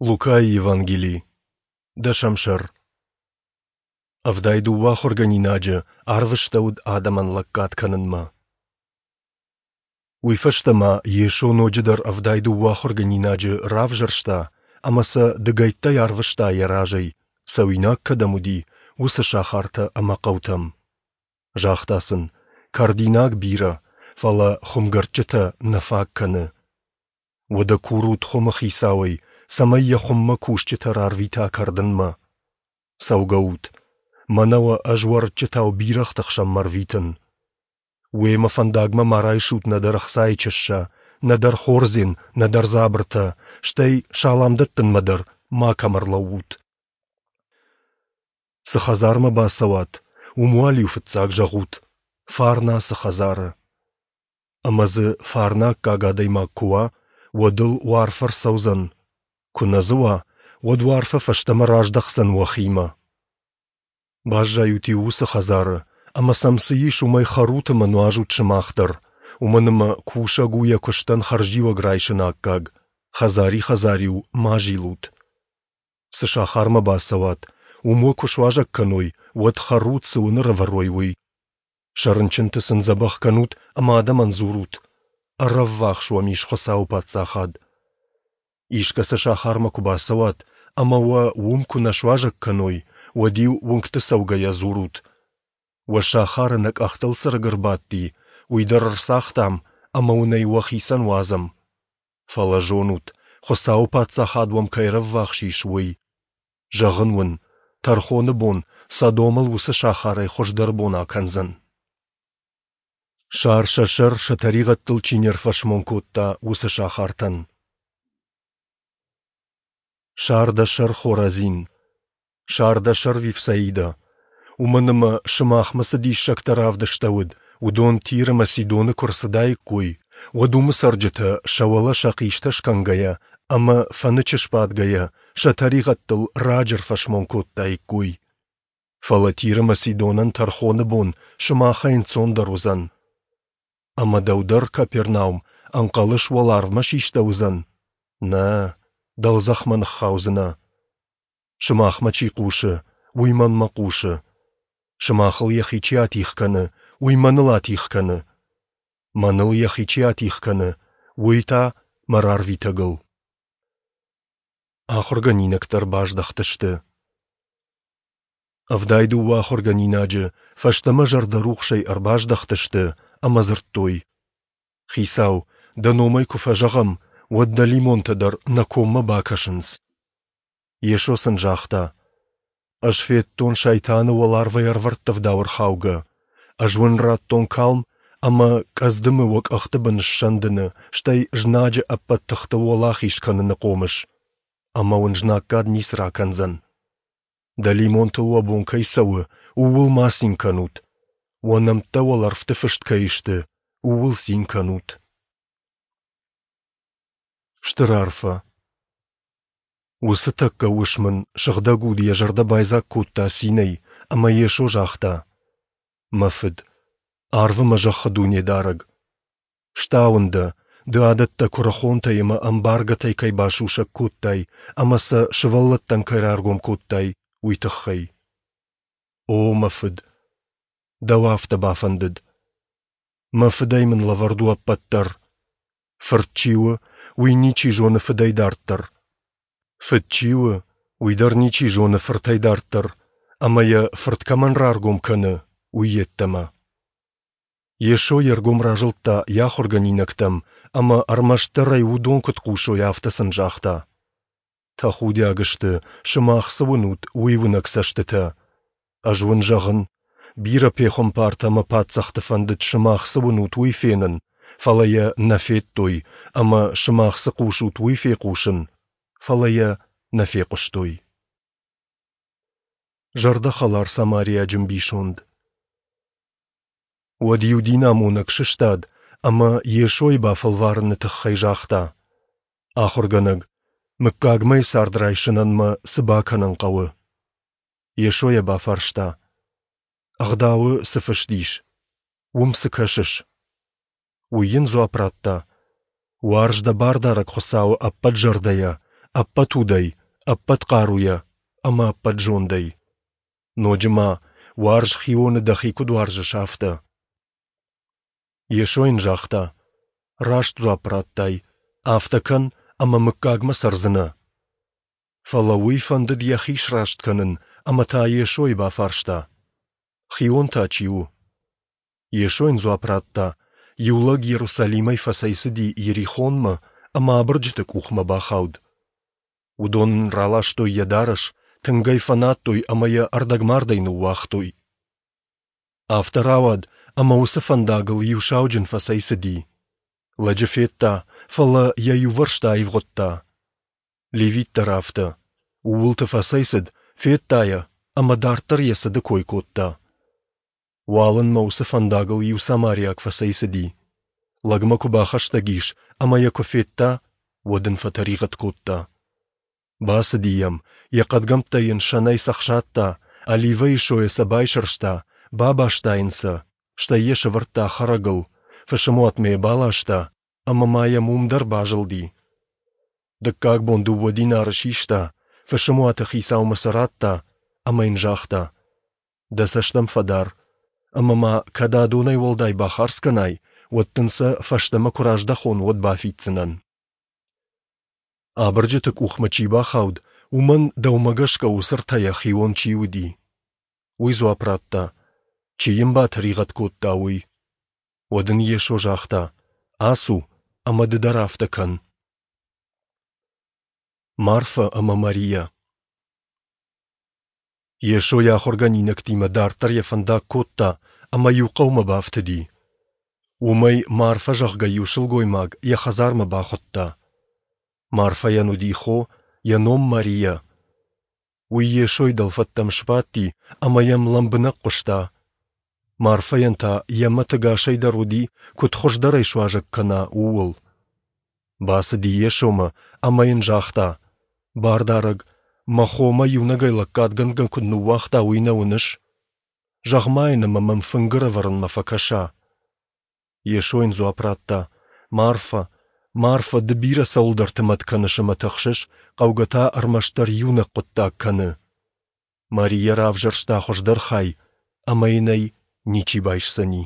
Лукайы Евангели, дӕсӕм сӕр. 72 ахуыргӕнинаджы арвыстӕуыд адӕмӕн лӕггад кӕнынмӕ. Уый фӕстӕ ма Йесо ноджыдӕр 72 ахуыргӕнинаджы равзӕрста ӕмӕ сӕ дыгӕйттӕй арвыста йӕ разӕй, цӕуинаг кӕдӕм уыди, уыцы сахартӕ ӕмӕ хъӕутӕм. Загъта сын, Кӕрдинаг бирӕ, фӕлӕ хуымгӕрдджытӕ нӕ фаг кӕны. Уӕдӕ курут хуымы хицауӕй, цӕмӕй йӕ хуыммӕ кусджытӕ рарвита кӕрдынмӕ. Цӕугӕут, мӕнӕ уӕ ӕз уӕрыччытау бирӕгъты хсӕнмӕ рвитын. Уемӕ фӕндагмӕ ма райсут нӕдӕр ӕхцайы чыссӕ, нӕдӕр хордзен, нӕдӕр дзабыртӕ, стӕй салам дӕттынмӕ дӕр макӕм ӕрлӕуут. Цы хӕдзармӕ бацӕуат, уым уал-иу фыццаг зӕгъут: «Фарн ацы хӕдзары». Ӕмӕ дзы фарны аккаг адӕймаг куы уа, уӕд ыл уӕ арфӕ ӕрцӕудзӕн, куы нӕ дзы уа, уӕд уӕ арфӕ фӕстӕмӕ раздӕхдзӕн уӕхимӕ. Баззайут-иу уыцы хӕдзары, ӕмӕ сӕм цы ис, уымӕй хӕрут ӕмӕ нуазут сымах дӕр, уымӕн ӕмӕ кусӕг у йӕ куыстӕн хӕрзиуӕг райсыны аккаг, хӕдзари-хӕдзар-иу ма зилут. Цы сахармӕ бацӕуат, уым уӕ куы суазӕг кӕной, уӕд хӕрут, цы уын ӕрӕвӕрой, уый. Сӕ рынчынты сын дзӕбӕх кӕнут ӕмӕ адӕмӕн дзурут: ӕрӕввахс уӕм ис Хуыцауы Паддзахад. Искӕцы сахармӕ куы бацӕуат ӕмӕ уӕ уым куы нӕ суазӕг кӕной, уӕд-иу уынгты цӕугӕйӕ дзурут: Уӕ сахары нӕ къӕхтыл цы рыг ӕрбадти, уый дӕр ӕрцагътам ӕмӕ уын ӕй уӕхицӕн уадзӕм. Фӕлӕ зонут, Хуыцауы Паддзахад уӕм кӕй ӕрӕввахс ис, уый. Зӕгъын уын, тӕрхоны бон Содомыл уыцы сахарӕй хуыздӕр бон акӕндзӕн. Сар сӕ сӕр сӕ тӕригъӕдтыл чи не рфӕсмон кодта, уыцы сахартӕн. Сар дӕ сӕр, Хоразин! Сар дӕ сӕр, Вифсаидӕ! Уымӕн ӕмӕ сымахмӕ цы диссӕгтӕ равдыстӕуыд, уыдон Тир ӕмӕ Сидоны куы рцыдаиккой, уӕд уымы цӕрджытӕ сӕ уӕлӕ сӕ хъистӕ скӕнгӕйӕ ӕмӕ фӕнычы сбадгӕйӕ сӕ тӕригъӕдтыл раджы ӕрфӕсмон кодтаиккой. Фӕлӕ Тир ӕмӕ Сидонӕн тӕрхоны бон сымахӕй ӕнцондӕр уыдзӕн. Ӕмӕ дӕу дӕр, Капернаум, ӕнхъӕлыс уӕларвмӕ систӕуыдзӕн? Нӕ, дӕлдзӕхмӕ ныххаудзынӕ. Сымахмӕ чи хъусы, уый мӕнмӕ хъусы. Сымахыл йӕхи чи атигъ кӕны, уый мӕныл атигъ кӕны. Мӕныл йӕхи чи атигъ кӕны, уый та мӕ рарвитӕгыл. Ахуыргӕнинӕгтӕ ӕрбаздӕхтысты. 72 ахуыргӕнинаджы фӕстӕмӕ зӕрдӕрухсӕй ӕрбаздӕхтысты ӕмӕ дзырдтой: Хицау, дӕ номӕй куы фӕзӕгъӕм, уӕд дӕлимонтӕ дӕр нӕ коммӕ бакӕсынц. Йесо сын загъта: Ӕз федтон Сайтаны уӕларвӕй ӕрвӕрттывдау ӕрхаугӕ. Ӕз уын радтон калм ӕмӕ къӕдздымы уӕ къӕхты бын ссӕндыны, стӕй знаджы ӕппӕт тыхтыл уӕлахиз кӕныны хъомыс. Ӕмӕ уын знаггад ницы ракӕндзӕн. Дӕлимонтыл уӕ бон кӕй цӕуы, ууыл ма цин кӕнут. Уӕ нӕмттӕ уӕлӕрвты фыст кӕй сты, ууыл цин кӕнут. Стыр арфӕ. Уыцы тӕккӕ уысм ын Сыгъдӕг Уд йӕ зӕрдӕ байдзаг кодта цинӕй, ӕмӕ Йесо загъта: Мӕ Фыд, арвы мӕ зӕххы Дунедарӕг, стауын дӕ, ды адӕттӕ куырыхонтӕй ӕмӕ ӕмбаргӕтӕй кӕй басусӕг кодтай ӕмӕ сӕ сывӕллӕттӕн кӕй раргом кодтай, уый тыххӕй. О, мӕ Фыд, дӕу афтӕ бафӕндыд. Мӕ Фыдӕй мын лӕвӕрд у ӕппӕт дӕр. Фырт чи у, уый ничи зоны Фыдӕй дарддӕр. Фыд чи у, уый дӕр ничи зоны Фыртӕй дарддӕр, ӕмӕ йӕ Фырт кӕмӕн раргом кӕны, уый йеддӕмӕ. Йесо йе ргом разылдта йӕ ахуыргӕнинӕгтӕм ӕмӕ ӕрмӕстдӕр ӕй уыдон куыд хъусой, афтӕ сын загъта: Тӕхудиаг сты, сымах цы уынут, уый уынӕг цӕстытӕ. Ӕз уын зӕгъын, бирӕ пехуымпартӕ ӕмӕ паддзӕхты фӕндыд сымах цы уынут, уый фенын, фӕлӕ йӕ нӕ федтой, ӕмӕ сымах цы хъусут, уый фехъусын, фӕлӕ йӕ нӕ фехъуыстой. Зӕрдӕхӕлар самариаджы ӕмбисонд. Уӕд иу динамонӕг сыстад ӕмӕ Йесойы бафӕлварыны тыххӕй загъта: Ахуыргӕнӕг, мыггагмӕйы цард райсынӕн мӕ цы бакӕнын хъӕуы? Йесо йӕ бафарста: Ӕгъдауы цы фыст ис, уым цы кӕсыс? Уый йын дзуапп радта: Уарз дӕ Бардарӕг Хуыцауы ӕппӕт зӕрдӕйӕ, ӕппӕт удӕй, ӕппӕт хъаруйӕ ӕмӕ ӕппӕт зондӕй. Ноджы ма, уарз хионы дӕхи куыд уарзыс, афтӕ. Йесо йын загъта, Раст дзуапп радтай, афтӕ кӕн, ӕмӕ мыггагмӕ цӕрдзынӕ. Фӕлӕ уый фӕндыд йӕхи сраст кӕнын ӕмӕ та Йесойы бафарста, Хион та чи у? Йесо йын дзуапп радта, Иу лӕг Иерусалимӕй фӕцӕйцыди Иерихонмӕ ӕмӕ абырджыты къухмӕ бахауд. Уыдон ын раластой йӕ дарӕс, тынг ӕй фӕнадтой ӕмӕ йӕ ӕрдӕгмардӕй ныууагътой. Афтӕ рауад, ӕмӕ уыцы фӕндагыл иу сауджын фӕцӕйцыди. Лӕджы федта, фӕлӕ йӕ иувӕрсты аивгъуыдта. Левит дӕр афтӕ. Ууылты фӕцӕйцыд, федта йӕ ӕмӕ дарддӕр йӕ цыды кой кодта. Уалынмӕ уыцы фӕндагыл иу самариаг фӕцӕйцыди. Лӕгмӕ куы бахӕстӕг ис ӕмӕ йӕ куы федта, уӕд ын фӕтӕригъӕд кодта. Бацыди йӕм, йӕ хъӕдгӕмттӕ йын сӕнӕй цӕхсадта, оливӕйы сойӕ сӕ байсӕрста, бабаста йын сӕ, стӕй йӕ сӕвӕрдта хӕрӕгыл, фысымуатмӕ йӕ баласта ӕмӕ ма йӕм уым дӕр базылди. Дыккаг бон дыууӕ динары систа, фысымуаты хицаумӕ сӕ радта ӕмӕ йын загъта: Дӕ цӕст ӕм фӕдар, ӕмӕ ма кӕд адонӕй уӕлдай бахардз кӕнай, уӕд дын сӕ, фӕстӕмӕ куы раздӕхон, уӕд бафиддзынӕн. Абырджыты къухмӕ чи бахауд, уымӕн, дӕумӕ гӕсгӕ, уыцы ӕртӕйӕ хион чи уыди? Уый дзуапп радта, Чи йын батӕригъӕд кодта, уый. Уӕд ын Йесо загъта, Ацу, ӕмӕ ды дӕр афтӕ кӕн. Марфӕ ӕмӕ Марийӕ. Йесо йӕ ахуыргӕнинӕгтимӕ дарддӕр йӕ фӕндаг кодта ӕмӕ иу хъӕумӕ бафтыди. Уым ӕй Марфӕ, зӕгъгӕ, иу сылгоймаг йӕ хӕдзармӕ бахуыдта. Марфӕйӕн уыди хо, йӕ ном Марийӕ. Уый Йесойы дӕлфӕдтӕм сбадти ӕмӕ йӕм лӕмбынӕг хъуыста. Марфӕйӕн та йӕ мӕт ӕгасӕй дӕр уыди, куыд хуыздӕр ӕй суазӕг кӕна, ууыл. Бацыди Йесомӕ ӕмӕ йын загъта: Бардарӕг, мӕ хо мӕ иунӕгӕй лӕггадгӕнгӕ куыд ныууагъта, уый нӕ уыныс? Зӕгъ-ма йын ӕмӕ мӕм фынг ӕрӕвӕрынмӕ фӕкӕса. Йесо йын дзуапп радта: Марфӕ, Марфӕ, ды бирӕ цӕуылдӕрты мӕт кӕныс ӕмӕ тыхсыс, хъӕугӕ та ӕрмӕстдӕр иунӕг хъуыддаг кӕны. Марийӕ равзӕрста хуыздӕр хай, ӕмӕ йын ӕй ничи байсдзӕни.